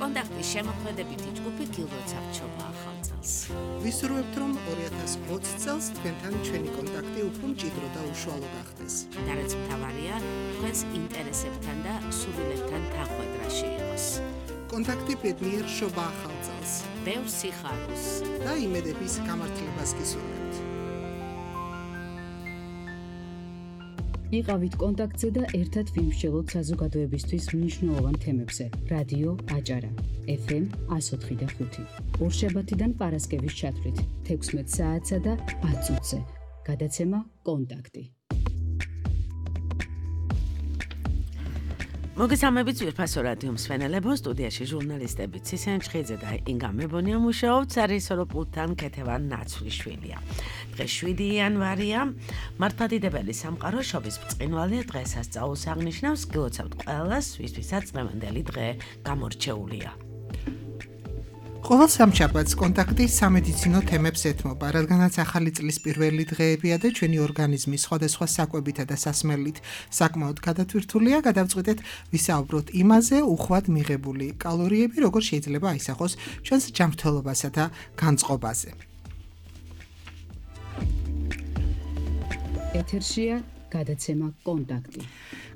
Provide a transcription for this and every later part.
კონტაქტის შემოქმედებითი ჯგუფი გილოცავთ ჩობა ახალ წელს. ვისურვებთ, რომ 2020 წელს თქვენთან ჩვენი კონტაქტი უფრო მჭიდრო და უშუალო გახდეს. და რაც მთავარია, თქვენს ინტერესებთან და სურვილებთან თანხვედრაში იყოს. კონტაქტი ბედნიერ შობა ახალ წელს. ბევრ სიხარულს და იმედების გამართლებას გისურვებთ. იყავით კონტაქტზე და ერთად ვიმსჯელოთ საზოგადოებისთვის მნიშვნელოვან თემებზე. რადიო აჭარა, FM 104.5. ორშაბათიდან პარასკევის ჩათვლით 16 საათსა და 10 წუთზე. გადაცემა კონტაქტი. მოგესალმებით ძვირფასო რადიო მსმენელებო, სტუდიაში ჟურნალისტები ცისენ ჩხიძე და ინგა მებონია მუშაობთ სარისორო პულტთან ქეთევან ნაცვლიშვილია. დღეს 7 იანვარია, მართლმადიდებელი სამყარო შობის ბრწყინვალე დღესასწაულს აღნიშნავს. გილოცავთ ყველას, ვისთვისაც დღევანდელი დღე გამორჩეულია. ყოველ სამშაბათს კონტაქტი სამედიცინო თემებს ეთმობა, რადგანაც ახალი წლის პირველი დღეებია და ჩვენი ორგანიზმი სხვადასხვა საკვებითა და სასმელით საკმაოდ გადათვირთულია, გადავწყვიტეთ ვისაუბროთ იმაზე, უხვად მიღებული კალორიები როგორ შეიძლება აისახოს ჩვენს ჯანმრთელობასა და განწყობაზე. ეთერშია გადაცემა კონტაქტი.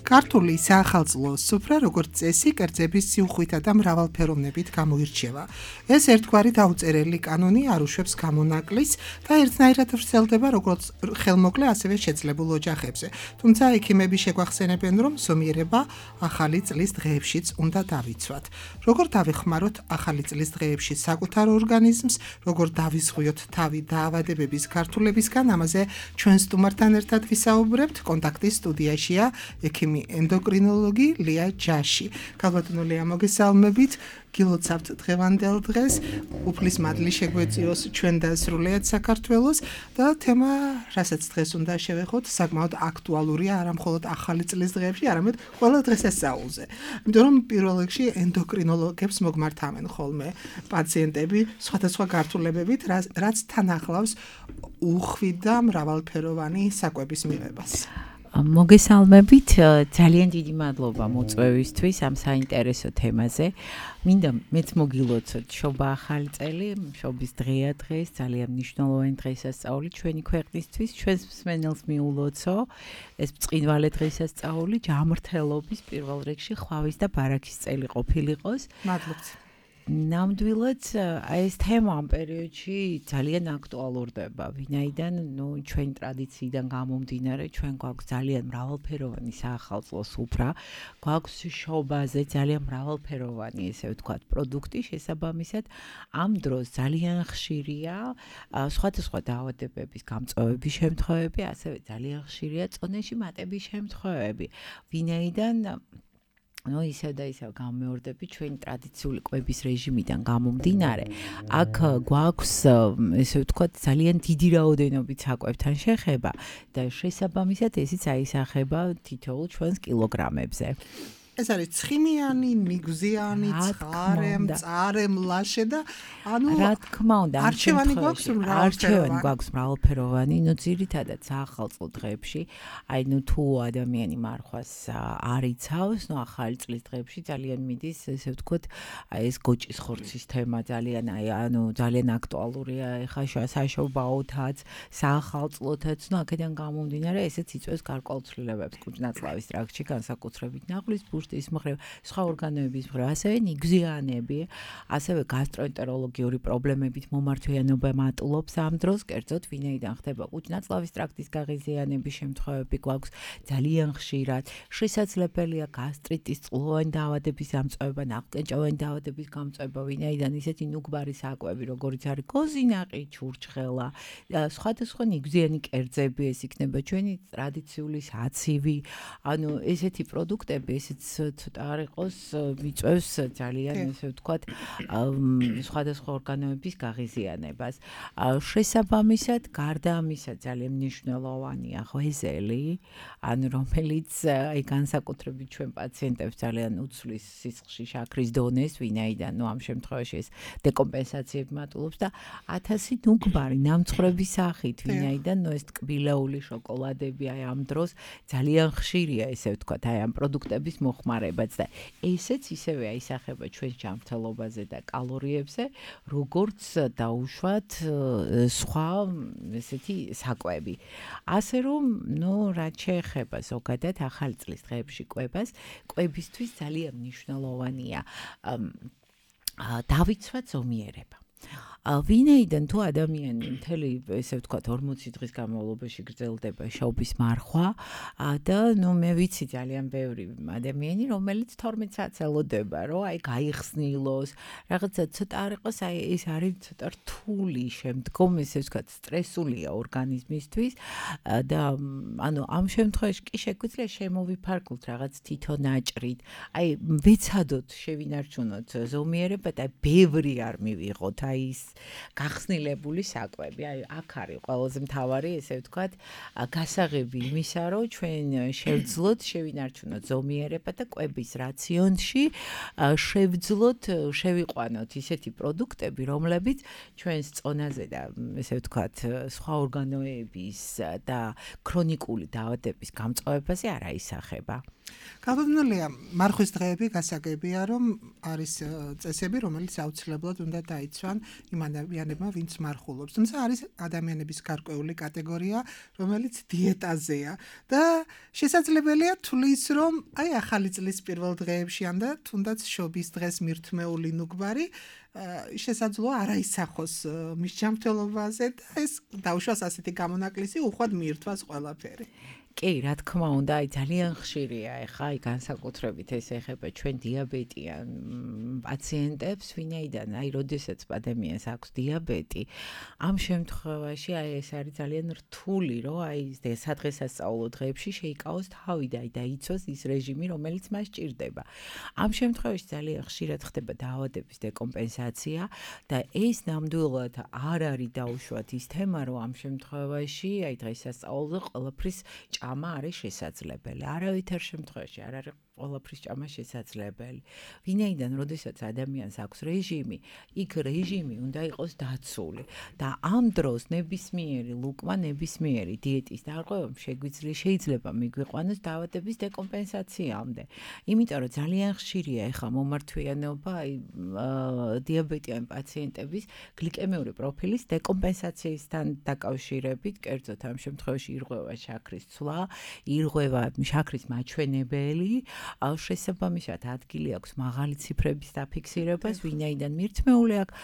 ქართული საახალწლო სუფრა როგორც წესი კერძების სიუხვითა და მრავალფეროვნებით გამოირჩევა. ეს ერთგვარი დაუწერელი კანონი არ უშვებს გამონაკლის და ერთნაირად ვრცელდება როგორც ხელმოკლე, ასევე შეძლებულ ოჯახებზე. თუმცა ექიმები შეგვახსენებენ, რომ ზომიერება ახალი წლის დღეებშიც უნდა დავიცვათ. როგორ დავეხმაროთ ახალი წლის დღეებში საკუთარ ორგანიზმს, როგორ დავიზღვიოთ თავი დაავადებების გართულებისგან, ამაზე ჩვენ სტუმართან ერთად ვისაუბრებთ. კონტაქტის სტუდიაშია ექიმი ენდოკრინოლოგი ლია ჯაში. ქალბატონო ლია, მოგესალმებით. გილოცავთ დღევანდელ დღეს. უფლის მადლი შეგვეწიოს ჩვენ და სრულიად საქართველოს და თემა, რასაც დღეს უნდა შევეხოთ, საკმაოდ აქტუალურია არა მხოლოდ ახალი წლის დღეებში, არამედ ყველა დღესასწაულზე. იმიტომ რომ პირველ რიგში ენდოკრინოლოგებს მოგმართავენ ხოლმე პაციენტები სხვადასხვა გართულებებით, რაც თან ახლავს უხვი და მრავალფეროვანი საკვების მიღებას. მოგესალმებით, ძალიან დიდი მადლობა მოწვევისთვის ამ საინტერესო თემაზე. მინდა მეც მოგილოცოთ შობა ახალი წელი, შობის დღეა დღეს, ძალიან მნიშვნელოვანი დღესასწაული ჩვენი ქვეყნისთვის, ჩვენს მსმენელს მიულოცო. ეს ბრწყინვალე დღესასწაული ჯანმრთელობის პირველ რიგში ხვავის და ბარაქის წელი ყოფილიყოს. მადლობთ. ნამდვილად ეს თემა ამ პერიოდში ძალიან აქტუალურდება, ვინაიდან ჩვენი ტრადიციიდან გამომდინარე, ჩვენ გვაქვს ძალიან მრავალფეროვანი საახალწლო სუფრა, გვაქვს შობაზე ძალიან მრავალფეროვანი, ესე ვთქვათ, პროდუქტი, შესაბამისად, ამ დროს ძალიან ხშირია სხვადასხვა დაავადებების გამწვევების შემთხვევები, ასევე ძალიან ხშირია წონეში მატების შემთხვევები, ვინაიდან ისევ და ისევ გამეორდები ჩვენი ტრადიციული კვების რეჟიმიდან გამომდინარე. აქ გვაქვს, ესე ვთქვათ, ძალიან დიდი რაოდენობით საკვებთან შეხება და შესაბამისად ესიც აისახება თითოეულ ჩვენს კილოგრამებზე. ეს არის ცხიმიანი, მიგზიანი, ცხარე, მწარე, მლაშე და რა თქმა უნდა, არჩევანი გვაქვს მრავალფეროვანი, ძირითადად საახალწლო დღეებში, თუ ადამიანი მარხვას არ იცავს, ახალი წლის დღეებში ძალიან მიდის, ესე ვთქვათ, ეს გოჭის ხორცის თემა ძალიან ძალიან აქტუალურია ეხლა საშობაოთაც, საახალწლოთაც, აქედან გამომდინარე, ესეც იწვევს გარკვეულ ცვლილებებს კუჭ-ნაწლავის ტრაქტში, განსაკუთრებით ნახლის ბუშტის მხრივ, სხვა ორგანოების მხრივ, ასევე ნიგზიანები, ასევე გასტროენტეროლოგიური პრობლემებით მომართვიანობა მატულობს ამ დროს, კერძოდ ვინაიდან ხდება კუჭ-ნაწლავის ტრაქტის გაღიზიანების შემთხვევები გვაქვს ძალიან ხშირად, შესაძლებელია გასტრიტის, წყლოვანი დაავადების გამწვევა, ნაყმწენჭოვანი დაავადების გამწვევა, ვინაიდან ისეთი ნუგბარი საკვები, როგორიც არის კოზინაყი, ჩურჩხელა, სხვადასხვა ნიგზიანი კერძები, ეს იქნება ჩვენი ტრადიციული საცივი, ესეთი პროდუქტები, ესეც ცოტა არ იყოს, მიწევს ძალიან, ესე ვთქვათ, სხვადასხვა ორგანოების გაღიზიანებას. შესაბამისად, გარდა ამისა ძალიან მნიშვნელოვანია ღვეზელი, რომელიც განსაკუთრებით ჩვენ პაციენტებს ძალიან უცვლის სისხლში შაქრის დონეს, ვინაიდან ამ შემთხვევაში ეს დეკომპენსაციები მატულობს და 1000 ნუგბარი ნამცხრების სახით, ვინაიდან ეს ტკბილეული შოკოლადები ამ დროს ძალიან ხშირია, ესე ვთქვათ, ამ პროდუქტების მოხმარება. მოხმარებაც და ესეც ისევე აისახება ჩვენს ჯანმრთელობაზე და კალორიებზე, როგორც დაუშვათ სხვა ესეთი საკვები. ასე რომ, რაც შეეხება ზოგადად ახალი წლის დღეებში კვებისთვის ძალიან მნიშვნელოვანია დავიცვათ ზომიერება. ვინაიდან თუ ადამიანი მთელი ესე ვთქვათ 40 დღის განმავლობაში გრძელდება შობის მარხვა და მე ვიცი ძალიან ბევრი ადამიანი რომელიც 12 საათს ელოდება რომ აი გაიხსნილოს რაღაცა ცოტა არ იყოს აი ეს არის ცოტა რთული შემდგომ ესე ვთქვათ სტრესულია ორგანიზმისთვის და ანუ ამ შემთხვევაში კი შეგვიძლია შემოვიფარგლოთ რაღაც თვითონ აჭრით აი ვეცადოთ შევინარჩუნოთ ზომიერება და ბევრი არ მივიღოთ აი ის გახსნილებული საკვები. აი აქ არის ყველაზე მთავარი, ესე ვთქვათ, გასაღები იმისა, რომ ჩვენ შევძლოთ, შევინარჩუნოთ ზომიერება და კვების რაციონში შევძლოთ, შევიყვანოთ ისეთი პროდუქტები, რომლებიც ჩვენს წონაზე და ესე ვთქვათ, სხვა ორგანოების და ქრონიკული დაავადების გამწვავებაზე არ აისახება. Გავდნელია მარხვის დღეები გასაგებია რომ არის წესები რომელიც აუცილებლად უნდა დაიცვან იმ ადამიანებმა ვინც მარხულობს თუმცა არის ადამიანების გარკვეული კატეგორია რომელიც დიეტაზეა და შესაძლებელია თulis რომ აი ახალი წლის პირველ დღეებში ან და თუნდაც შობის დღეს მირთმეული ნუგბარი შესაძლოა არ აისახოს მის ჯანმრთელობაზე და ეს დაუშვას ასეთი გამონაკლისი უხვად მიირთვას ყველაფერი კი, რა თქმა უნდა, აი ძალიან ხშირია ეხა აი განსაკუთრებით ეს ეხება ჩვენ დიაბეტიან პაციენტებს, ვინაიდან აი როდესაც ადამიანს აქვს დიაბეტი, ამ შემთხვევაში აი ეს არის ძალიან რთული, რომ აი სადღესასწაულო დღეებში შეიკავოს თავი და აი დაიცვას ის რეჟიმი, რომელიც მას ჭირდება. ამ შემთხვევაში ძალიან ხშირად ხდება დაავადების დეკომპენსაცია და ეს ნამდვილად არ არის დაუშვათ ის თემა, რომ ამ შემთხვევაში აი დღესასწაულზე ყველაფრის ჭამა არის შესაძლებელი. არავითარ შემთხვევაში არ არის ყველაფრის ჭამა შესაძლებელი. ვინაიდან როდესაც ადამიანს აქვს რეჟიმი, იქ რეჟიმი უნდა იყოს დაცული და ამ დროს ნებისმიერი ლუკმა, ნებისმიერი დიეტის დარღვევამ შეიძლება მიგვიყვანოს დაავადების დეკომპენსაციამდე. იმიტომ რომ ძალიან ხშირია ეხა მომართვიანობა აი დიაბეტიან პაციენტების გლიკემიური პროფილის დეკომპენსაციისთან დაკავშირებით, კერძოდ ამ შემთხვევაში ირღვევა შაქრის ცვლა, ირღვევა შაქრის მაჩვენებელი შესაბამისად ადგილი აქვს მაღალი ციფრების დაფიქსირებას, ვინაიდან მირთმეული აქვს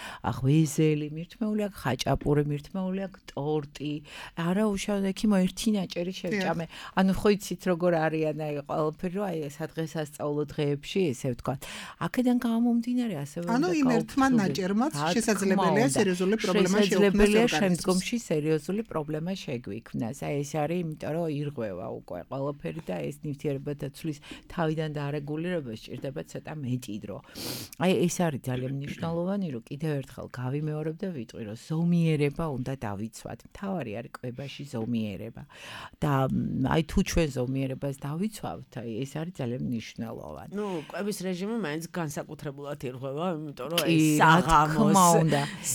ღვეზელი, მირთმეული აქვს ხაჭაპური, მირთმეული აქვს ტორტი, არაუშავ ექიმო ერთი ნაჭერი შევჭამე. ანუ ხო იცით როგორ არიან აი ყველაფერი, რომ აი სადღესასწაულო დღეებში, ესე ვთქვათ. აქედან გამომდინარე ასევე ანუ იმ ერთმა ნაჭერმაც შესაძლებელია სერიოზული პრობლემა შეექმნას. შესაძლებელია შემდგომში სერიოზული პრობლემა შეგვიქმნას. აი ეს არის, იმიტომ რომ ირღვევა უკვე ყველაფერი და ეს ნივთიერებათა ცვლის თავიდან დარეგულირება სჭირდება ცოტა მეტი დრო. აი ეს არის ძალიან მნიშვნელოვანი, რომ კიდევ ერთხელ გავიმეორებ და ვიტყვი, რომ ზომიერება უნდა დავიცვათ. მთავარი არის კვებაში ზომიერება. და აი თუ ჩვენ ზომიერებას დავიცვავთ, აი ეს არის ძალიან მნიშვნელოვანი. ნუ კვების რეჟიმი მაინც განსაკუთრებულად ირღვევა, იმიტომ რომ ეს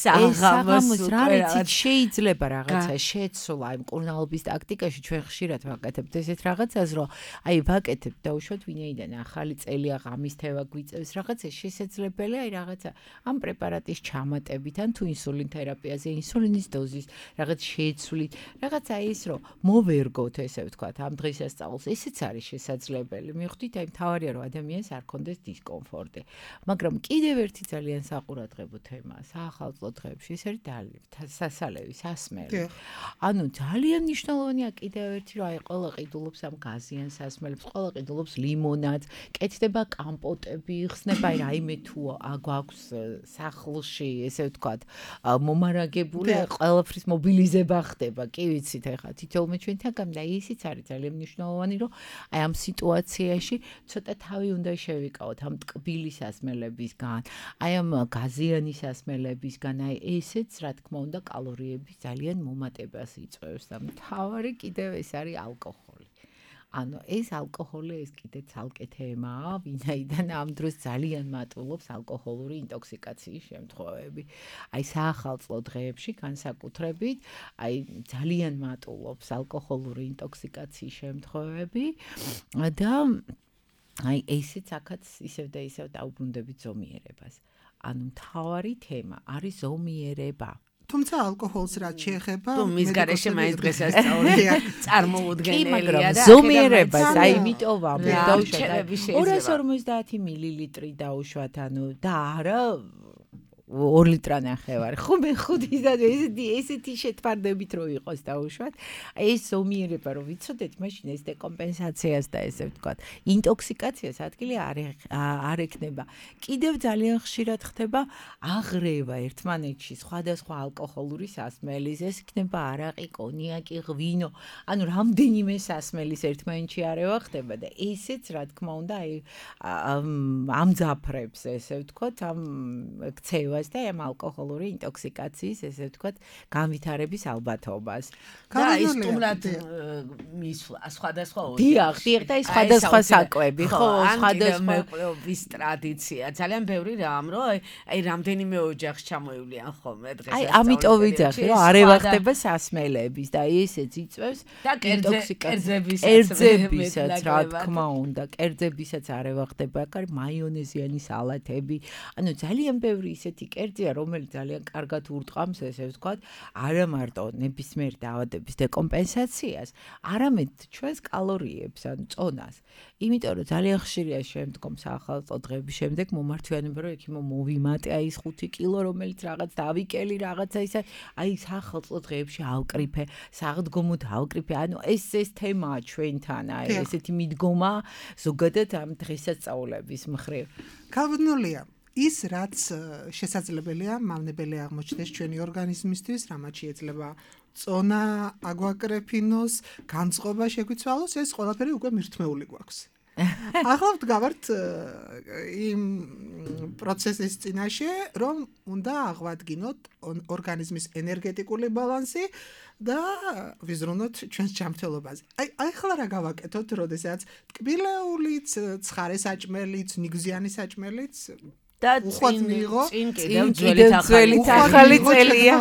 საღამოს რა ვიცით შეიძლება რაღაცა შეცვლა იმ კურნალობის ტაქტიკაში ჩვენ ხშირად ვაკეთებთ ესეთ რაღაცას, რომ აი ვაკეთებთ დაუშვათ ვინაიდან ახალი წელი ღამისთევა გვიწევს რაღაცა შესაძლებელია აი რაღაცა ამ პრეპარატის ჩამატებით ან თუ ინსულინ თერაპიაზე ინსულინის დოზის რაღაც შეცვლით რაღაცა ის რომ მოვერგოთ ესე ვთქვათ ამ დღესასწაულს ესეც არის შესაძლებელი მივხვდით აი მთავარია რომ ადამიანს არ კონდეს დისკომფორტი მაგრამ კიდევ ერთი ძალიან საყურადღებო თემაა საახალწლო დღეებში ეს არის სასალევი სასმელი ანუ ძალიან მნიშვნელოვანია კიდევ ერთი რომ აი ყველა ყიდულობს ამ გაზიან სასმელებს ყველა ყიდულობს ლიმონადს კეთდება კამპოტები იხსნება აი რაიმე თუ აგვაქვს სახლში ესე ვთქვათ მომარაგებული ყველაფრის მობილიზება ხდება კი ვიცით ეხლა თითოეულმა ჩვენთან გამდა ისიც არის ძალიან მნიშვნელოვანი რომ აი ამ სიტუაციაში ცოტა თავი უნდა შევიკავოთ ამ ტკბილი სასმელებისგან აი ამ გაზიანი სასმელებისგან აი ესეც რა თქმა უნდა კალორიების ძალიან მომატებას იწვევს და მთავარი კიდევ ეს არის ალკოჰოლი ანუ ეს ალკოჰოლი ეს კიდე ცალკე თემაა, ვინაიდან ამ დროს ძალიან მატულობს ალკოჰოლური ინტოქსიკაციის შემთხვევები. აი საახალწლო დღეებში განსაკუთრებით, აი ძალიან მატულობს ალკოჰოლური ინტოქსიკაციის შემთხვევები და აი ესეც აქაც ისევ და ისევ დაუბრუნდებით ზომიერებას. ანუ მთავარი თემა არის ზომიერება. თუმცა ალკოჰოლს რაც შეეხება თუ მის გარეშე მაინც დღესასწაულია წარმოუდგენელია და ზომიერებას აი იმიტომ დაუშვათ 250 მილილიტრი დაუშვათ ანუ და არა 2 ლიტრანახევარი. ხო მე ხუთი და ესეთი შეთვარდებით რო იყოს დაუშვათ. ეს ზომიერება რო ვიცოდეთ, მაშინ ეს დეკომპენსაციას და ესე ვთქვათ, ინტოქსიკაციას ადგილი არ ექნება. კიდევ ძალიან ხშირად ხდება აღრევა ერთმანეთში სხვადასხვა ალკოჰოლური სასმელის, ეს იქნება არაყი, კონიაკი, ღვინო, ანუ რამდენიმე სასმელის ერთმანეთში არევა ხდება და ესეც რა თქმა უნდა აი ამძაფრებს ესე ვთქვათ, ამ ქცევას და ამ ალკოჰოლური ინტოქსიკაციის ესე ვთქვათ განვითარების ალბათობას. და ის თუმრად მისვლა სხვადასხვა დიახ და ის სხვადასხვა საკვები ხო სხვადასხვა მეკვეობის ტრადიცია ძალიან ბევრი რამ რომ აი რამდენიმე ოჯახს ჩამოივლიან ხოლმე დღეს აი ამიტომ ვიძახი რომ არევა ხდება სასმელების და ესეც იწევს კერძებისაც რა თქმა უნდა კერძებისაც არევა ხდება აქ მაიონეზიანი სალათები ანუ ძალიან ბევრი ისეთი კერძია რომელიც ძალიან კარგად ურტყამს ესე ვთქვათ არა მარტო ნებისმიერ დაავადების დეკომპენსაციას არამედ ჩვენს კალორიებს ან წონას იმიტომ რომ ძალიან ხშირია შემდგომ საახალწლო დღეების შემდეგ მომართვიანება რომ იქ მოვიმატე აი ეს 5 კილო რომელიც რაღაც დავიკელი რაღაცა ისა აი საახალწლო დღეებში ავკრიფე საღდგომოდ ავკრიფე ანუ ეს თემაა ჩვენთან აი ესეთი მიდგომა ზოგადად ამ დღესასწაულების მხრივ გავდნულია ის რაც შესაძლებელია მავნებელი აღმოჩნდეს ჩვენი ორგანიზმისთვის რამაც შეიძლება წონა აგვაკრეფინოს განწყობა შეგვიცვალოს ეს ყველაფერი უკვე მირთმეული გვაქვს ახლა ვდგავართ იმ პროცესის წინაშე რომ უნდა აღვადგინოთ ორგანიზმის ენერგეტიკული ბალანსი და ვიზრუნოთ ჩვენს ჯანმრთელობაზე აი ახლა რა გავაკეთოთ როდესაც ტკბილეულიც ცხარე საჭმელიც ნიგზიანი საჭმელიც და წინ კიდევ ძველი ახალი წელია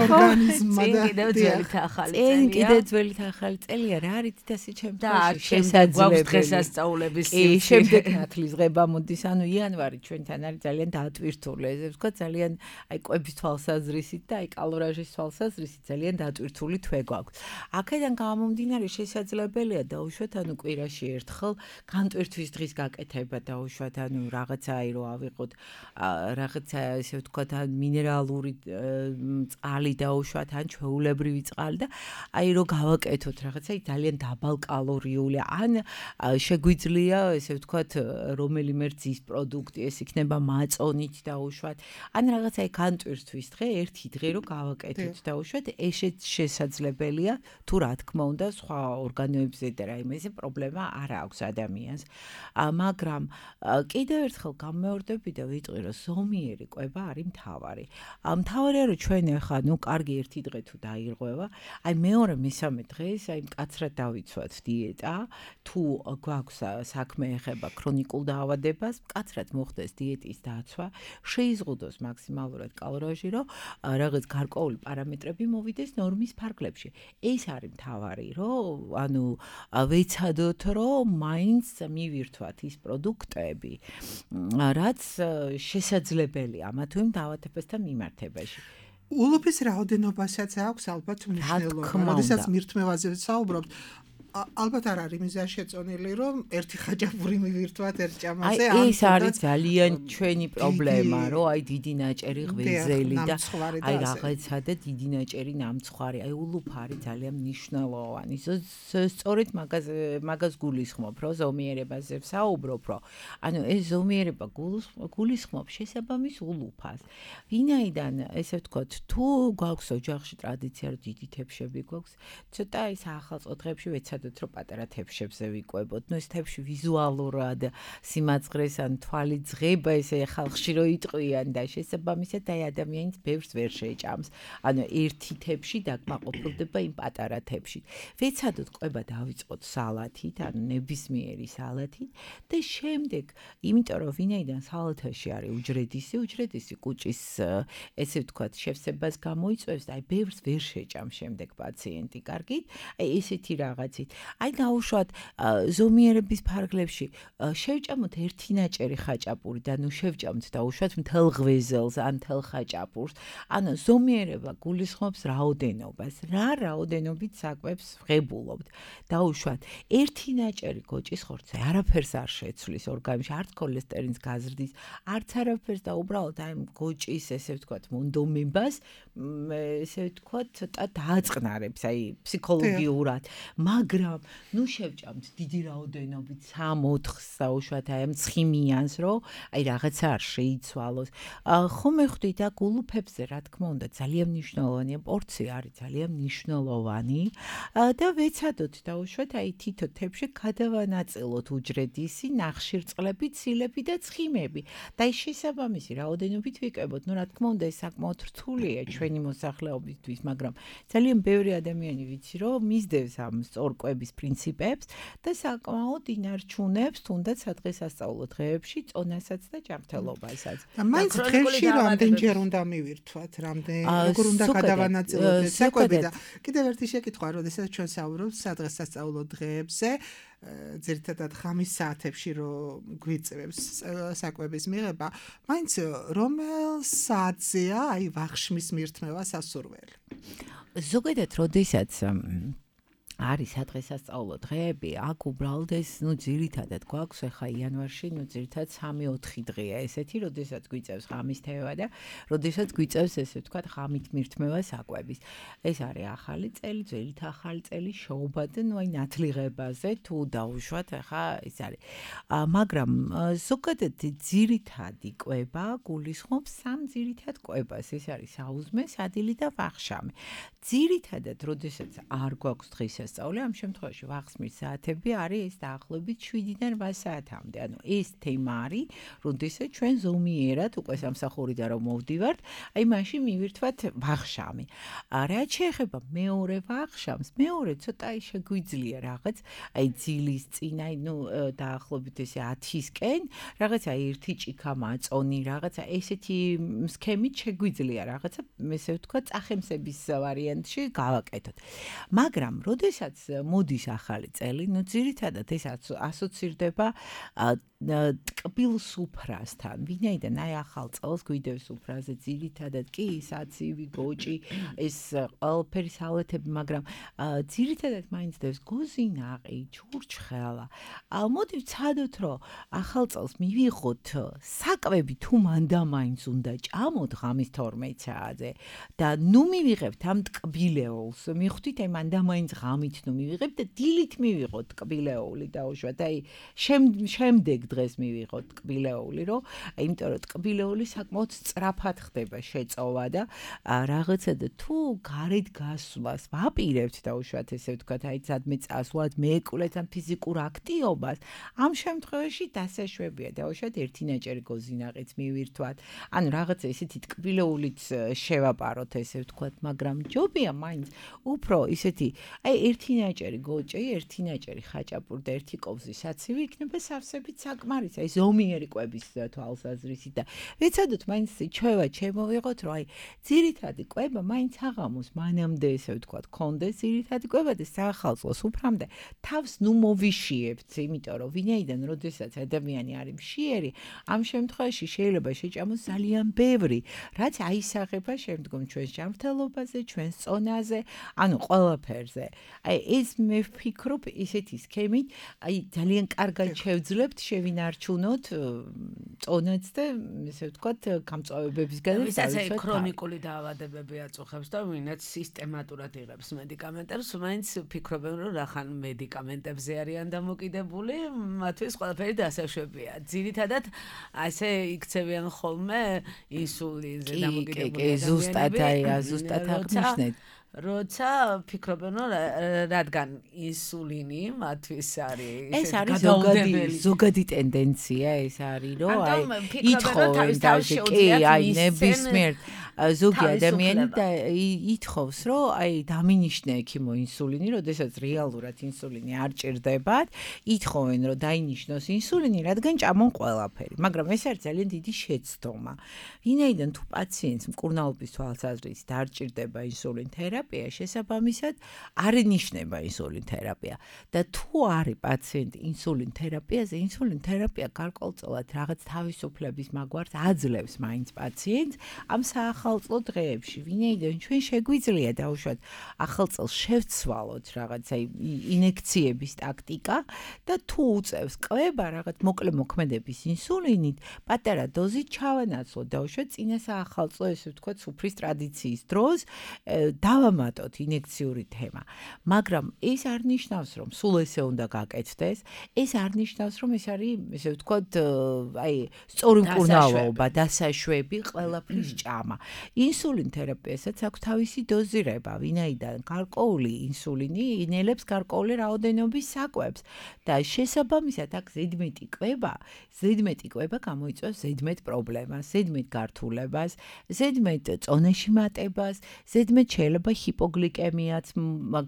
წინ კიდევ ძველი ახალი წელია რა არის დასი ჩემთვის შესაძლებელი დღესასწაულების შემდეგ ნათლის ღება მოდის ანუ იანვარი ჩვენთან არის ძალიან დაატვირთული ესე ვთქვა ძალიან აი კვების თვალსაზრისით და აი კალორაჟის თვალსაზრისით ძალიან დაატვირთული თვე გვაქვს აქედან გამომდინარე შესაძლებელია დაუშვათ ანუ კვირაში ერთხელ განტვირთვის დღის გაკეთება დაუშვათ ანუ რაღაცა აი რო ავიღოთ რაღაცა ესე ვთქვათ მინერალური წყალი დაუშვათ ან ჩვეულებრივი წყალი და აი რო გავაკეთოთ რაღაცა ძალიან დაბალკალორიული ან შეგვიძლია ესე ვთქვათ რომელიმე რძის პროდუქტი ეს იქნება მაწონით დაუშვათ ან რაღაცა აი განტვირთვის დღე ერთი დღე რო გავაკეთოთ დაუშვათ ეს შესაძლებელია თუ რა თქმა უნდა სხვა ორგანოებზე და რაიმე ესე პრობლემა არ აქვს ადამიანს მაგრამ კიდევ ერთხელ გამეორდები და ვიტყვი რომ ზომიერი კვება არის მთავარი. მთავარია რომ ჩვენ ახლა ნუ კარგი ერთი დღე თუ დაირღვევა, აი მეორე მესამე დღეს აი მკაცრად დავიცვათ დიეტა, თუ გვაქვს საქმე ეხება ქრონიკულ დაავადებას, მკაცრად მოხდეს დიეტის დაცვა, შეიზღუდოს მაქსიმალურად კალორიაჟი, რომ რაღაც გარკვეული პარამეტრები მოვიდეს ნორმის ფარგლებში. ეს არის მთავარი, რომ ანუ ვეცადოთ, რომ მაინც მივირთვათ ის პროდუქტები, რაც შესაძლებელია ამა თუ იმ დაავადებასთან მიმართებაში. ულუფის რაოდენობასაც აქვს ალბათ მნიშვნელობა. როდესაც მირთმევაზე საუბრობთ, ალბათ არ არის მიზა შეწონილი, რომ ერთი ხაჭაპური მივირთვათ ერთ ჭამაზე. აი ეს არის ძალიან ჩვენი პრობლემა, რომ აი დიდი ნაჭერი ღვიძლი და აი რაღაცა და დიდი ნაჭერი ნამცხვარი. აი ულუფა არის ძალიან მნიშვნელოვანი. სწორედ მაგას გულისხმობ, რომ ზომიერებაზე ვსაუბრობ, რომ ანუ ეს ზომიერება გულისხმობ შესაბამის ულუფას. ვინაიდან ესე ვთქვათ, თუ გვაქვს ოჯახში ტრადიცია, რომ დიდი თებშები გვაქვს, ცოტა აი საახალწლო დღეებში ვეცადოთ რომ პატარა თებშებზე ვიკვებოთ. ნუ ეს თებში ვიზუალურად სიმაძღრეს ან თვალი ძღება ესე ხალხში რო იტყვიან და შესაბამისად აი ადამიანს ბევრს ვერ შეჭამს. ანუ ერთი თებში დაკმაყოფილდება იმ პატარა თებში. ვეცადოთ კვება დავიწყოთ სალათით, ანუ ნებისმიერი სალათით და შემდეგ, იმიტომ რომ ვინაიდან სალათაში არის უჯრედისი კუჭის ესე ვთქვათ შევსებას გამოიწვევს და აი ბევრს ვერ შეჭამს შემდეგ პაციენტი კარგით. აი ესეთი რაღაცით აი დაუშვათ ზომიერების ფარგლებში შევჭამოთ ერთი ნაჭერი ხაჭაპური და ნუ შევჭამთ დაუშვათ მთელ ღვეზელს ან მთელ ხაჭაპურს. ანუ ზომიერება გულისხმობს რაოდენობას. რა რაოდენობით საკვებს ვღებულობთ. დაუშვათ ერთი ნაჭერი გოჭის ხორცე არაფერს არ შეცვლის ორგანიზმში, არც ქოლესტერინს გაზრდის, არც არაფერს და უბრალოდ აი გოჭის ესე ვთქვათ მონდომებას ესე ვთქვათ ცოტა დააწყნარებს აი ფსიქოლოგიურად, მაგრამ ნუ შევჭამთ დიდი რაოდენობით 3-4-ს დაუშვათ აი ამ ცხიმიანს, რომ აი რაღაცა არ შეიცვალოს. ხომ ხვდი და გულუფებზე რა თქმა უნდა ძალიან მნიშვნელოვანია, პორცია არის ძალიან მნიშვნელოვანი და ვეცადოთ დაუშვათ აი თითო თებში გადავანაწილოთ უჯრედისი, ნახშირწყლები, ცილები და ცხიმები და ის შესაბამისი რაოდენობით ვიკებოთ. ნუ რა თქმა უნდა ეს საკმაოდ რთულია ჩვენი მოსახლეობისთვის, მაგრამ ძალიან ბევრი ადამიანი ვიცი, რომ მისდევს ამ სწორკვების პრინციპებს და საკმაოდ ინარჩუნებს თუნდაც სადღესასწაულო დღეებში წონასაც და ჯანმრთელობასაც. და მაინც დღეში რამდენჯერ უნდა მივირთვათ, როგორ უნდა გადავანაწილოთ ეს საკვები და კიდევ ერთი შეკითხვა, როდესაც ჩვენ საუბრობთ სადღესასწაულო დღეებზე, ძირითადად ღამის საათებში რომ გვიწევს საკვების მიღება, მაინც რომელ საათზეა აი ვახშმის მირთმევა სასურველი? ზოგადად, როდესაც არის სადღესასწაულო დღეები, აქ უბრალოდ ეს ძირითადად გვაქვს ახლა იანვარში, ძირითადად 3-4 დღეა ესეთი, როდესაც გვიწევს ღამის თევა და როდესაც გვიწევს ესე ვთქვათ ღამით მირთმევა საკვების. ეს არის ახალი წელი, ძველით ახალი წელი, შოუბად, აი ნათლიღებაზე თუ დაუშვათ, ახლა ეს არის. მაგრამ ზოგადად ძირითადი კვება გულისხმობს 3 ძირითად კვებას, ეს არის საუზმე, სადილი და ვახშამი. ძირითადად, როდესაც არ გვაქვს დღის ამ შემთხვევაში ვახსმის საათები არის ეს დაახლოებით 7-დან 8 საათამდე. ანუ ეს თემა არის, როდესაც ჩვენ ზომიერად უკვე სამსახურიდან რომ მოვდივართ, აი მაშინ მივირთვათ ვახშამი. რაც შეეხება მეორე ვახშამს, მეორე ცოტა შეგვიძლია რაღაც, აი ძილის წინ, აი დაახლოებით ესე 10-ისკენ, რაღაცა ერთი ჭიქა მაწონი, რაღაცა ესეთი სქემით შეგვიძლია რაღაცა, ესე ვთქვათ, წახემსების ვარიანტში გავაკეთოთ. მაგრამ როდესაც მოდის ახალი წელი, ძირითადად ეს ასოცირდება ტკბილ სუფრასთან. ვინაიდან აი ახალ წელს გვიდევს სუფრაზე ძირითადად კი საცივი, გოჭი, ეს ყველაფერი სალეთები, მაგრამ ძირითადად მაინც დევს გოზინაყი, ჩურჩხელა. მოდი ვცადოთ, რომ ახალ წელს მივიღოთ საკვები თუ მანდა მაინც უნდა ჭამოთ ღამის 12 საათზე და ნუ მივიღებთ ამ ტკბილეულს. მიხვდით აი მანდა მაინც ღამით ნუ მივიღებთ და დილით მივიღოთ ტკბილეული დაუშვათ. აი შემდეგ დღეს მივიღოთ ტკბილეული, რომ იმიტომ რომ ტკბილეული საკმაოდ სწრაფად ხდება შეწოვა და რაღაცა და თუ გარეთ გასვლას ვაპირებთ დაუშვათ ესე ვთქვათ, აი სადმე წასვლად მეეკვლეთ ამ ფიზიკურ აქტივობას, ამ შემთხვევაში დასაშვებია დაუშვათ ერთი ნაჭერი გოზინაყიც მივირთვათ. ანუ რაღაცა ესეთი ტკბილეულიც შევაპაროთ ესე ვთქვათ, მაგრამ ჯობია მაინც უფრო ისეთი აი ერთი ნაჭერი გოჭი, ერთი ნაჭერი ხაჭაპური და ერთი კოვზი საცივი იქნება სავსებით საკმარისი, აი ზომიერი კვების თვალსაზრისით და ვეცადოთ მაინც ჩვევა შემოვიღოთ, რომ აი ძირითადი კვება მაინც აღამოს მანამდე ესე ვთქვათ, კონდეს ძირითადი კვება და საახალწლოს უფრამდე თავს ნუ მოვიშიებთ, იმიტომ რომ ვინაიდან როდესაც ადამიანი არის მშიერი, ამ შემთხვევაში შეიძლება შეჭამოს ძალიან ბევრი, რაც აისახება შემდგომ ჩვენს ჯანმრთელობაზე, ჩვენს წონაზე, ანუ ყველაფერზე. აი ეს მე ვფიქრობ ისეთი სქემით, აი ძალიან კარგად შევძლებთ შევინარჩუნოთ წონაც და ესე ვთქვათ გამწვავებებისგან და ვისაც ქრონიკული დაავადებები აწუხებს და ვინაც სისტემატურად იღებს მედიკამენტებს, მაინც ფიქრობენ რომ რახან მედიკამენტებზე არიან დამოკიდებული, მათთვის ყველაფერი დასაშვებია. ძირითადად ასე იქცევიან ხოლმე ინსულინზე დამოკიდებული ადამიანები. ზუსტად აღნიშნეთ. როცა ფიქრობენ რომ რადგან ინსულინი მათთვის არის ეს არის ზოგადი ტენდენცია, ეს არის რომ აი ითხოვენ თავში კი აი ნებისმიერ ზოგი ადამიანი და ითხოვს რომ აი დამინიშნე ექიმო ინსულინი, როდესაც რეალურად ინსულინი არ ჭირდებათ, ითხოვენ რომ დაინიშნოს ინსულინი, რადგან ჭამონ ყველაფერი, მაგრამ ეს არის ძალიან დიდი შეცდომა. ვინაიდან თუ პაციენტს მკურნალობის თვალსაზრისით არ ჭირდება ინსულინ თერაპია, თერაპია შესაბამისად არ ინიშნება ინსულინ თერაპია და თუ არის პაციენტი ინსულინ თერაპიაზე, ინსულინ თერაპია გარკვეულწილად რაღაც თავისუფლების მაგვარს აძლევს მაინც პაციენტს ამ საახალწლო დღეებში. ვინაიდან ჩვენ შეგვიძლია დაუშვათ ახალ წელს შევცვალოთ რაღაცა ინექციების ტაქტიკა და თუ უწევს ყლება რაღაც მოკლე მოქმედების ინსულინით, პატარა დოზით ჩავანაცვლოთ დაუშვათ წინა საახალწლო ესე ვთქვათ სუფრის ტრადიციის დროს დავამატოთ ინექციური თემა. მაგრამ ეს არ ნიშნავს რომ სულ ესე უნდა გაკეთდეს, ეს არ ნიშნავს რომ ეს არის ესე ვთქვათ აი სწორი მკურნალობა, დასაშვები, ყველაფრის ჭამა. ინსულინ თერაპიასაც აქვს თავისი დოზირება, ვინაიდან გარკვეული ინსულინი ინელებს გარკვეული რაოდენობის საკვებს და შესაბამისად აქ ზედმეტი კვება გამოიწვევს ზედმეტ პრობლემას, ზედმეტ გართულებას, ზედმეტ წონეში მატებას, ზედმეტ შეიძლება ჰიპოგლიკემიაც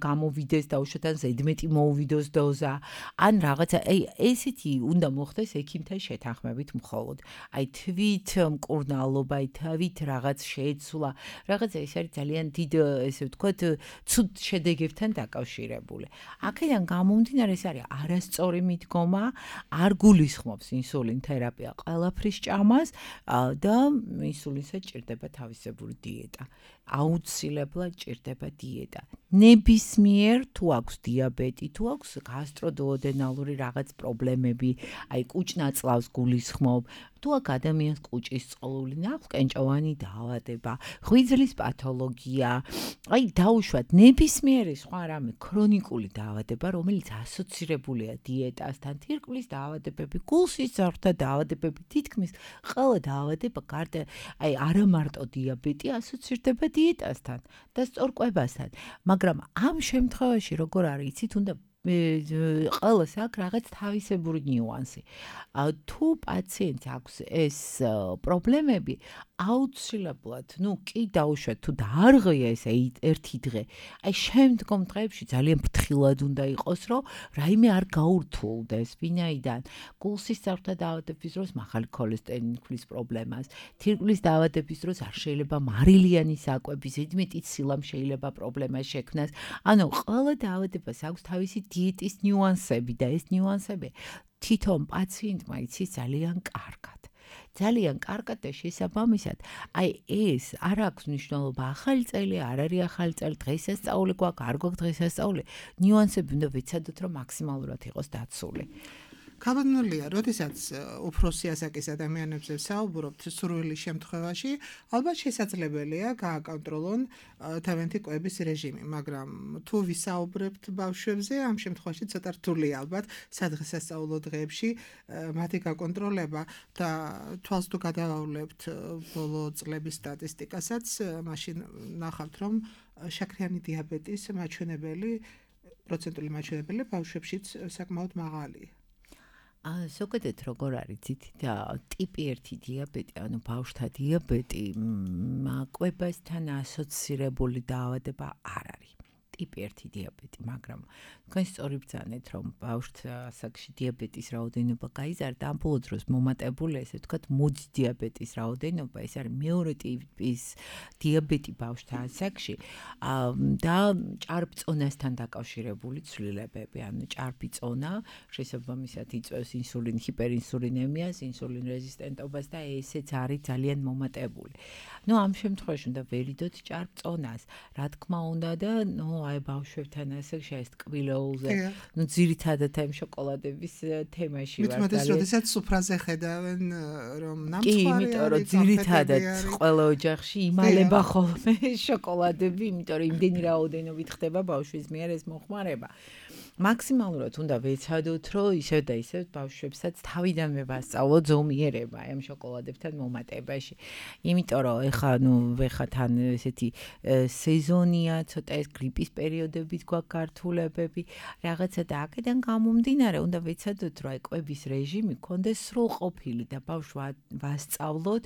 გამოვიდეს დაუშვათ ან ზედმეტი მოუვიდოს დოზა, ან რაღაცა ესეთი უნდა მოხდეს ექიმთან შეთანხმებით მხოლოდ. აი თვით მკურნალობა, თვით რაღაც შეეცვლა, რაღაცა ეს არის ძალიან დიდ ესე ვთქვათ ცუდ შედეგებთან დაკავშირებული. აქედან გამომდინარე ეს არის არასწორი მიდგომა, არ გულისხმობს ინსულინ თერაპია ყველაფრის ჭამას და ინსულინსაც ჭირდება თავისებური დიეტა. აუცილებლად ჭირდება დიეტა. ნებისმიერ თუ აქვს დიაბეტი, თუ აქვს გასტროდუოდენალური რაღაც პრობლემები, აი კუჭნაწლავს გულისხმობ, თუ აქ ადამიანს კუჭის წყლული ნაყენჭოვანი დაავადება, ღვიძლის პათოლოგია, აი დაუშვათ ნებისმიერი სხვა რამე ქრონიკული დაავადება, რომელიც ასოცირებულია დიეტასთან, თირკმლის დაავადებები, გულსისხლძარღვთა დაავადებები, თითქმის ყველა დაავადება გარდა აი არა მარტო დიაბეტი ასოცირდება დიეტასთან და სწორკვებასთან, მაგრამ ამ შემთხვევაში როგორ არის, იცით, უნდა ყველას აქვს რაღაც თავისებური ნიუანსი. თუ პაციენტს აქვს ეს პრობლემები, აუცილებლად, კი დაუშვათ, თუ დაარღვია ეს ერთი დღე, აი შემდგომ დღეებში ძალიან ფრთხილად უნდა იყოს, რომ რაიმე არ გაურთულდეს, ვინაიდან გულსისხლძარღვთა დაავადების დროს მაღალი ქოლესტერინის პრობლემას, თირკმლის დაავადების დროს არ შეიძლება მარილიანი საკვები, ზედმეტი სილამ შეიძლება პრობლემას შექმნას. ანუ ყველა დაავადებას აქვს თავისი დიეტის ნიუანსები და ეს ნიუანსები თვითონ პაციენტმა იცის ძალიან კარგად. ძალიან კარგად და შესაბამისად, აი ეს არ აქვს მნიშვნელობა ახალი წელი, არ არის ახალი წელი, დღესასწაული გვაქვს, არ გვაქვს დღესასწაული, ნიუანსები უნდა ვიცადოთ, რომ მაქსიმალურად იყოს დაცული. გამოდნულია, როდესაც უფროსი ასაკის ადამიანებზე საუბრობთ სურვილის შემთხვევაში, ალბათ შესაძლებელია გააკონტროლონ თავიანთი კვების რეჟიმი, მაგრამ თუ ვისაუბრებთ ბავშვებზე, ამ შემთხვევაში ცოტა რთულია ალბათ სადღესასწაულო დღეებში მათი გაკონტროლება და თვალს თუ გადავავლებთ ბოლო წლების სტატისტიკასაც, მაშინ ნახავთ, რომ შაქრიანი დიაბეტის პროცენტული მაჩვენებელი ბავშვებშიც საკმაოდ მაღალია. ზოგადად როგორ არის ტიპი 1 დიაბეტი, ანუ ბავშვთა დიაბეტი, კვებასთან ასოცირებული დაავადება არ არის. ტიპი 1 დიაბეტი, მაგრამ თქვენ სწორი ბრძანეთ, რომ ბავშვთა ასაკში დიაბეტის რაოდენობა გაიზარდა, ამ ბოლო დროს მომატებული, ესე ვთქვათ, მუძ დიაბეტის რაოდენობა, ეს არის მეორე ტიპის დიაბეტი ბავშვთა ასაკში და ჭარბწონასთან დაკავშირებული ცვლილებები, ანუ ჭარბი წონა შესაბამისად იწვევს ინსულინ ჰიპერინსულინემიას, ინსულინ რეზისტენტობას და ესეც არის ძალიან მომატებული. ამ შემთხვევაში უნდა ვერიდოთ ჭარბწონას, რა თქმა უნდა და აი ბავშვებთან ასაკში ეს ტკბილეულზე, ძირითადად ამ შოკოლადების თემაში ვარ. მithmetes, როდესაც სუფრაზე ხედავენ, რომ ნამცხვარი არის. კი, იმიტომ რომ ძირითადად ყველა ოჯახში იმალება ხოლმე შოკოლადები, იმიტომ რომ იმდენი რაოდენობით ხდება ბავშვის მიერ ეს მოხმარება. მაქსიმალურად უნდა ვეცადოთ, რომ ისევ და ისევ ბავშვებსაც თავიდანვე ვასწავლოთ ზომიერება ამ შოკოლადებთან მომატებაში. იმიტომ რომ ეხლა თან ესეთი სეზონია, ცოტა ეს გრიპის პერიოდებით გვაქვს გართულებები, რაღაცა და აქედან გამომდინარე, უნდა ვეცადოთ, რომ კვების რეჟიმი გქონდეს სრულყოფილი და ბავშვს ვასწავლოთ,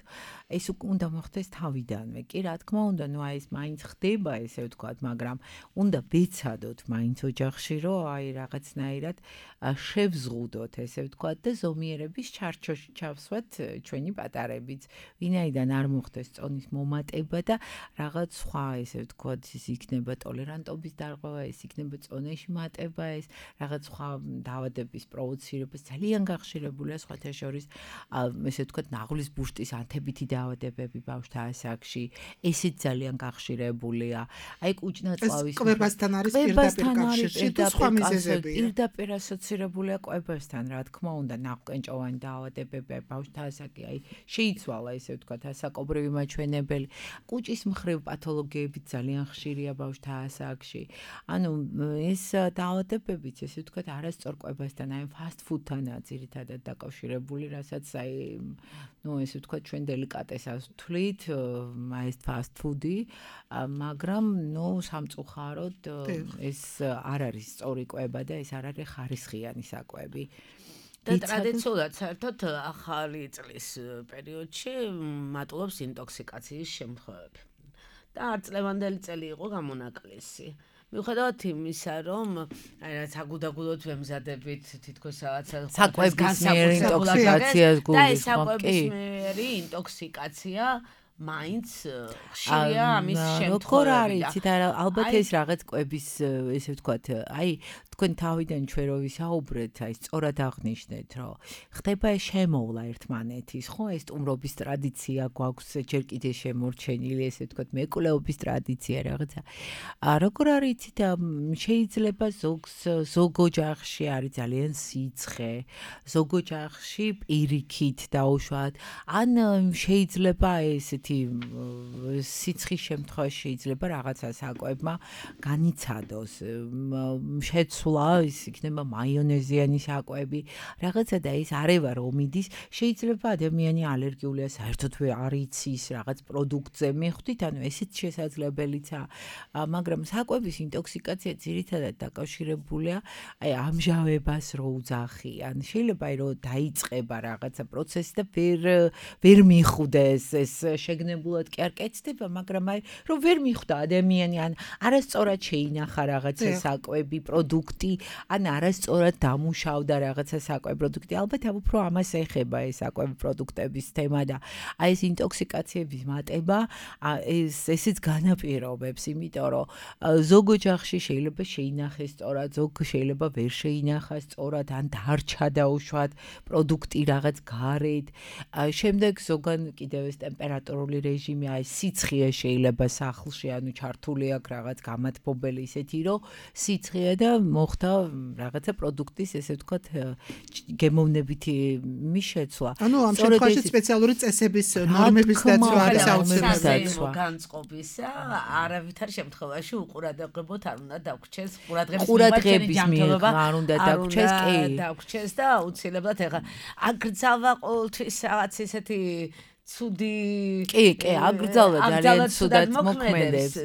ეს უნდა მოხდეს თავიდანვე. კი, რა თქმა უნდა, ეს მაინც ხდება, ესე ვთქვათ, მაგრამ უნდა ვეცადოთ მაინც ოჯახში, რომ აი რაღაცნაირად შევზღუდოთ, ესე ვთქვათ და ზომიერების ჩარჩოში ჩავსვათ ჩვენი პატარებიც. ვინაიდან არ მოხდეს წონის მომატება და რაღაც სხვა ესე ვთქვათ ის იქნება ტოლერანტობის დარღვევა, ეს იქნება წონეში მატება, ეს რაღაც სხვა დაავადების პროვოცირება ძალიან გახშირებულია სხვათა შორის ესე ვთქვათ ნაღლის ბუშტის ანთებითი დაავადებები ბავშვთა ასაკში, ესეც ძალიან გახშირებულია. აი კუჭნაწლავის კვებასთან არის პირდაპირ კავშირში თუ სხვა მიზეზებია. პირდაპირ ასოცირებულია კვებასთან, რა თქმა უნდა, ნაყენჭოვანი დაავადებები, ბავშვთა ასაკი, აი შეიცვალა ესე ვთქვათ ასაკობრივი მაჩვენებელი. კუჭის მხრივ პათოლოგიები ძალიან ხშირია ბავშვთა ასაკში. ანუ ეს დაავადებებიც ესე ვთქვათ არასწორ კვებასთან, აი ფასტ ფუდთანაა ძირითადად დაკავშირებული, რასაც აი ესე ვთქვათ ჩვენ დელიკატესას ვთვლით, აი ეს ფასტ ფუდი, მაგრამ სამწუხაროდ ეს არ არის სწორი კვება და ეს არ არის ხარისხიანი საკვები. და ტრადიციულად საერთოდ ახალი წლის პერიოდში მატულობს ინტოქსიკაციის შემთხვევები. და არწლევანდელი წელი იყო გამონაკლისი. მიუხედავად იმისა, რომ აი რაც აგუდაგუდოდ ვემზადებით თითქოს რაღაცა საკვების მიერ ინტოქსიკაციას გულისხმობ. და ეს საკვების მიერი ინტოქსიკაცია მაინც ხშირია ამის შემთხვევები. როგორ არის, იცით, ალბათ ეს რაღაც კვების ესე ვთქვათ, აი თქვენ თავიდან ჩვენ რო ვისაუბრეთ, აი სწორად აღნიშნეთ, რომ ხდება შემოვლა ერთმანეთის, ხო, ეს სტუმრობის ტრადიცია გვაქვს ჯერ კიდე შემორჩენილი, ესე ვთქვათ, მეკვლეობის ტრადიცია რაღაცა. როგორ არის, იცით, შეიძლება ზოგ ოჯახში არის ძალიან სიცხე, ზოგ ოჯახში პირიქით დაუშვათ, ან შეიძლება ესეთი სიცხის შემთხვევაში შეიძლება რაღაცა საკვებმა განიცადოს, შეცვლა, ის იქნება მაიონეზიანი საკვები, რაღაცა და ის არევა რომ მიდის, შეიძლება ადამიანი ალერგიულია საერთოდ არ იცის რაღაც პროდუქტზე, მიხვდით, ანუ ესეც შესაძლებელიცაა, მაგრამ საკვების ინტოქსიკაცია ძირითადად დაკავშირებულია აი ამჟავებას რო უძახიან, შეიძლება რომ დაიწყება რაღაცა პროცესი და ვერ მიხვდეს ეს შეგნებულად კი არ კეთდება, მაგრამ აი რომ ვერ მიხვდა ადამიანი, ან არასწორად შეინახა რაღაცა საკვები პროდუქტი, ან არასწორად დამუშავდა რაღაცა საკვები პროდუქტი, ალბათ უფრო ამას ეხება ეს საკვები პროდუქტების თემა და აი ეს ინტოქსიკაციების მატება ესეც განაპირობებს, იმიტომ რომ ზოგ ოჯახში შეიძლება შეინახეს სწორად, ზოგ შეიძლება ვერ შეინახას სწორად, ან დარჩა დაუშვათ პროდუქტი რაღაც გარეთ, შემდეგ ზოგან კიდევ ეს ტემპერატურული რეჟიმი, აი სიცხე შეიძლება სახლში, ანუ ჩართული აქვს რაღაც გამათბობელი ისეთი, რომ სიცხეა და მოხდა რაღაცა პროდუქტის, ესე ვთქვათ, გემოვნებითი მიშეცვლა. ანუ ამ შემთხვევაში სპეციალური წესების ნორმების დაცვა არის აუცილებელი. განწყობისა არავითარ შემთხვევაში უყურადღებოთ არ უნდა დაგვრჩეს ყურადღების მიღება არ უნდა დაგვრჩეს, კი. დაგვრჩეს და აუცილებლად ეხლა აკრძალვა ყოველთვის რაღაც ისეთი ცუდი კი, აკრძალვა ძალიან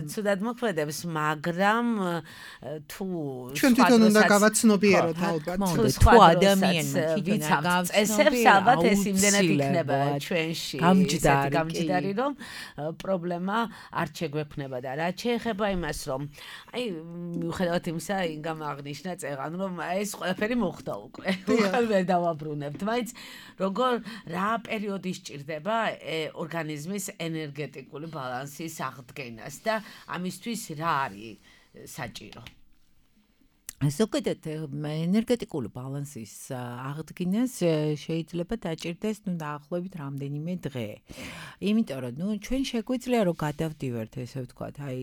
ცუდად მოქმედებს, მაგრამ თუ ჩვენ თვითონ უნდა გავაცნობიეროთ ალბათ. თუ ადამიანმა თვითონ წესებს ალბათ ეს იმდენად იქნება ჩვენში გამჯდარი, რომ პრობლემა არ შეგვექნება და რაც შეეხება იმას, რომ აი მიუხედავად იმისა, ინგამ აღნიშნა წეღან, რომ ეს ყველაფერი მოხდა უკვე. უხელ ვერ დავაბრუნებთ, მაინც როგორ რა პერიოდი სჭირდება ორგანიზმის ენერგეტიკული ბალანსის აღდგენას და ამისთვის რა არის საჭირო? ზოგადად ენერგეტიკული ბალანსის აღდგენას შეიძლება დაჭირდეს დაახლოებით რამდენიმე დღე. იმიტომ რომ ჩვენ შეგვიძლია რომ გადავდივართ, ესე ვთქვათ, აი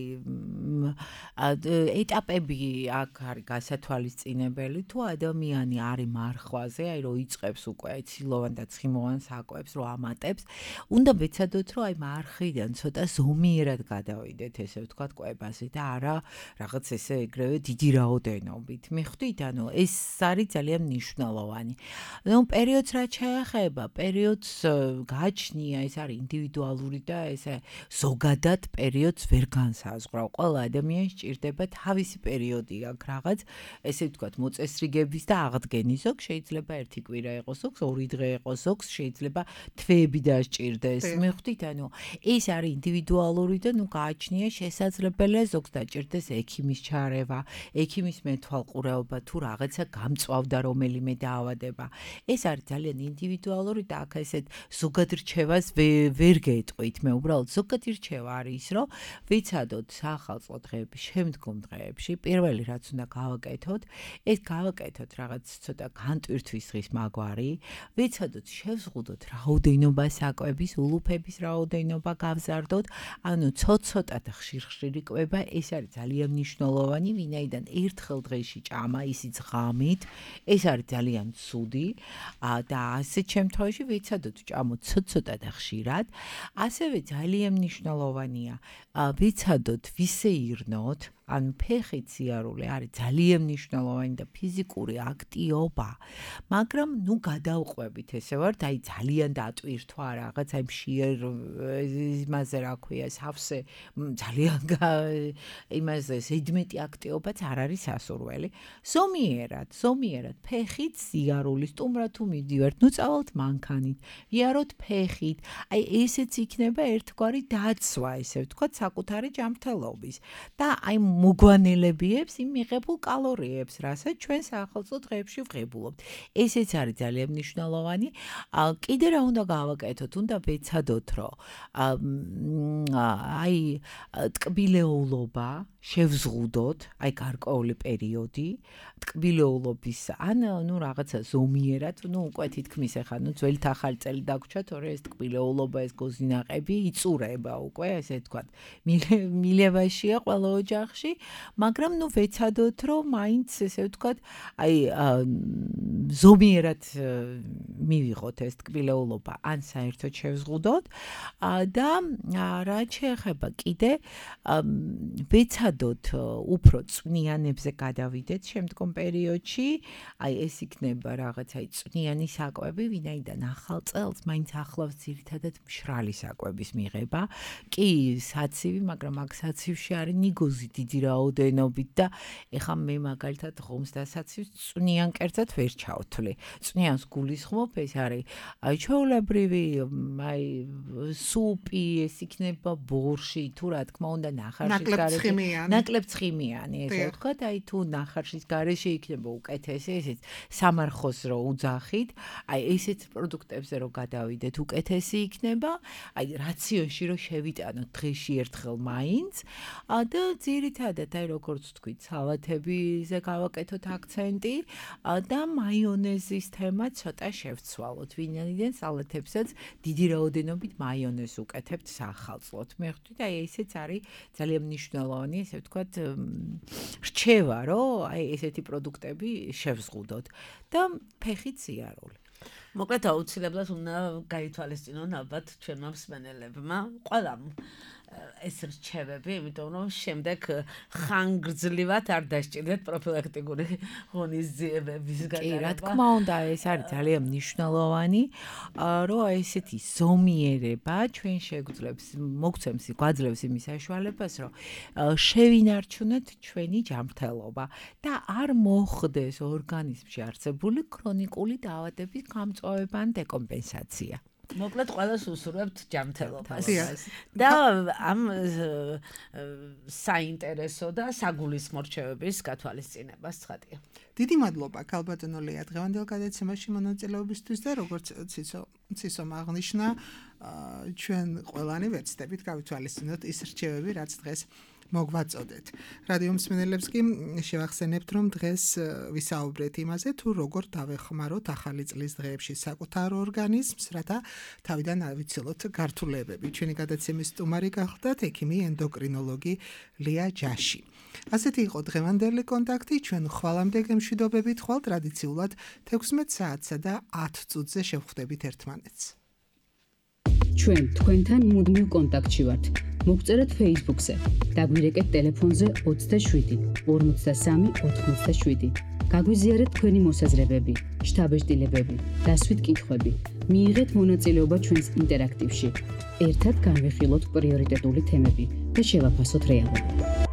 ეტაპები აქ არის გასათვალისწინებელი, თუ ადამიანი არის მარხვაზე, აი რომ იწყებს უკვე ცილოვან და ცხიმოვან საკვებს, რომ ამატებს, უნდა ვეცადოთ, რომ აი მარხიდან ცოტა ზომიერად გადავიდეთ, ესე ვთქვათ, კვებაზე და არა რაღაც ესე ეგრევე დიდი რაოდენობით. მიხვდით, ანუ ეს არის ძალიან მნიშვნელოვანი. პერიოდს რაც შეეხება, პერიოდს გააჩნია, ეს არის ინდივიდუალური და ესე ზოგადად პერიოდს ვერ განსაზღვრავ. ყველა ადამიანს სჭირდება თავისი პერიოდი აქვს რაღაც, ესე ვთქვათ, მოწესრიგების და აღდგენის. ზოგს შეიძლება ერთი კვირა იყოს, ზოგს 2 დღე იყოს, ზოგს შეიძლება თვეები დასჭირდეს. მიხვდით, ანუ ეს არის ინდივიდუალური და გააჩნია შესაძლებელია ზოგს დაჭირდეს ექიმის ჩარევა, ექიმის მეთვალყურეობა მართვალყურეობა თუ რაღაცა გამწვავდა რომელიმე დაავადება. ეს არის ძალიან ინდივიდუალური და აქ ესეთ ზოგად რჩევას ვერ გეტყვით. მე უბრალოდ ზოგადი რჩევა არის ის, რომ ვიცადოთ საახალწლო დღეების შემდგომ დღეებში პირველი რაც უნდა გავაკეთოთ, ეს გავაკეთოთ რაღაც ცოტა განტვირთვის დღის მაგვარი, ვიცადოთ შევზღუდოთ რაოდენობა საკვების, ულუფების რაოდენობა გავზარდოთ, ანუ ცოტ-ცოტა და ხშირ-ხშირი კვება, ეს არის ძალიან მნიშვნელოვანი, ვინაიდან ერთხელ დღეში ჭამა, ისიც ღამით, ეს არის ძალიან ცუდი და ასეთ შემთხვევაში ვიცადოთ ჭამოთ ცოტ-ცოტა და ხშირად, ასევე ძალიან მნიშვნელოვანია ვიცადოთ ვისეირნოთ, ანუ ფეხით სიარული არის ძალიან მნიშვნელოვანი და ფიზიკური აქტივობა, მაგრამ ნუ გადავყვებით ესე ვარ, აი ძალიან დატვირთვა რაღაც აი მშიერ იმაზე რა ქვია, სავსე ძალიან იმაზე ზედმეტი აქტივობაც არ არის სასურველი. ზომიერად ფეხით სიარული, სტუმრად თუ მივდივართ, ნუ წავალთ მანქანით, ვიაროთ ფეხით. აი ესეც იქნება ერთგვარი დაცვა, ესე ვთქვათ, საკუთარი ჯანმრთელობის და აი მოგვანელებიებს იმ მიღებულ კალორიებს, რასაც ჩვენ საახალწლო დღეებში ვღებულობთ. ესეც არის ძალიან მნიშვნელოვანი. კიდე რა უნდა გავაკეთოთ? უნდა ვეცადოთ, რომ აი ტკბილეულობა შევზღუდოთ, აი გარკვეული პერიოდი, ტკბილეულობის ან ნუ რაღაცა ზომიერად, ნუ უკვე თითქმის ახლა ნუ ძველთ ახალი წელი დაგვრჩა, თორე ეს ტკბილეულობა, ეს გოზინაყები იწურება უკვე, ესე ვთქვათ, მილევაშია ყველა ოჯახში, მაგრამ ნუ ვეცადოთ, რომ მაინც ესე ვთქვათ, აი ზომიერად მივიღოთ ეს ტკბილეულობა, ან საერთოდ შევზღუდოთ და რაც შეეხება კიდე ვეცადოთ უფრო წვნიანებზე გადავიდეთ შემდგომ პერიოდში, აი ეს იქნება რაღაცა წვნიანი საკვები, ვინაიდან ახალ წელს მაინც ახლავს ძირითადად მშრალი საკვების მიღება. კი, საცივი, მაგრამ აქ საცივში არის ნიგოზი დიდი რაოდენობით და ეხლა მე მაგალითად ღომს და საცივს წვნიან კერძად ვერ ჩავთვლი. წვნიანს გულისხმობ, ეს არის აი ჩვეულებრივი აი სუპი, ეს იქნება ბორში, თუ რა თქმა უნდა ნახარშის გარეშე. ნაკლებ ცხიმიანი, ესე ვთქვათ, აი თუ ნახარშის გარეშე იქნება უკეთესი, ესეც სამარხოს რო უძახით, აი ესეთ პროდუქტებზე რო გადავიდეთ, უკეთესი იქნება, აი რაციონში რო შევიტანოთ დღეში ერთხელ მაინც და ძირითადად აი როგორც ვთქვით, სალათებზე გავაკეთოთ აქცენტი და მაიონეზის თემა ცოტა შევცვალოთ, ვინაიდან სალათებსაც დიდი რაოდენობით მაიონეზს უკეთებთ საახალწლოდ. მე ხვდით, აი ესეც არის ძალიან მნიშვნელოვანი, ესე ვთქვათ, რჩევა, რომ აი ესეთი პროდუქტები შევზღუდოთ და ფეხით სიარული. მოკლედ აუცილებლად უნდა გაითვალისწინონ ალბათ ჩვენმა მსმენელებმა, ყველამ ეს რჩევები, იმიტომ რომ შემდეგ ხანგრძლივად არ დასჭირდეთ პროფილაქტიკური ღონისძიებების გატარება. კი, რა თქმა უნდა, ეს არის ძალიან მნიშვნელოვანი, რომ ესეთი ზომიერება ჩვენ გვაძლევს იმის საშუალებას, რომ შევინარჩუნოთ ჩვენი ჯანმრთელობა და არ მოხდეს ორგანიზმში არსებული ქრონიკული დაავადების გამწვავება ან დეკომპენსაცია. მოკლედ ყველას უსურვებთ ჯანმრთელობას და ამ საინტერესო და საგულისხმო რჩევების გათვალისწინებას ცხადია. დიდი მადლობა ქალბატონო ლეა დღევანდელ გადაცემაში მონაწილეობისთვის და როგორც ცისომ აღნიშნა, ჩვენ ყველანი ვეცდებით გავითვალისწინოთ ის რჩევები, რაც დღეს მოგვაწოდეთ. რადიო მსმენელებს კი შევახსენებთ, რომ დღეს ვისაუბრეთ იმაზე, თუ როგორ დავეხმაროთ ახალი წლის დღეებში საკუთარ ორგანიზმს, რათა თავიდან ავიცილოთ გართულებები. ჩვენი გადაცემის სტუმარი გახლდათ ექიმი ენდოკრინოლოგი ლეა ჯაში. ასეთი იყო დღევანდელი კონტაქტი, ჩვენ ხვალამდე გემშვიდობებით, ხვალ ტრადიციულად 16 საათსა და 10 წუთზე შევხვდებით ერთმანეთს. ჩვენ თქვენთან მუდმივ კონტაქტში ვართ. მოგწერეთ Facebook-ზე. დაგვირეკეთ ტელეფონზე 27 53 87. გაგვიზიარეთ თქვენი მოსაზრებები, შთაბეჭდილებები, დასვით კითხვები. მიიღეთ მონაწილეობა ჩვენს ინტერაქტივში. ერთად განვიხილოთ პრიორიტეტული თემები და შევაფასოთ რეალობა.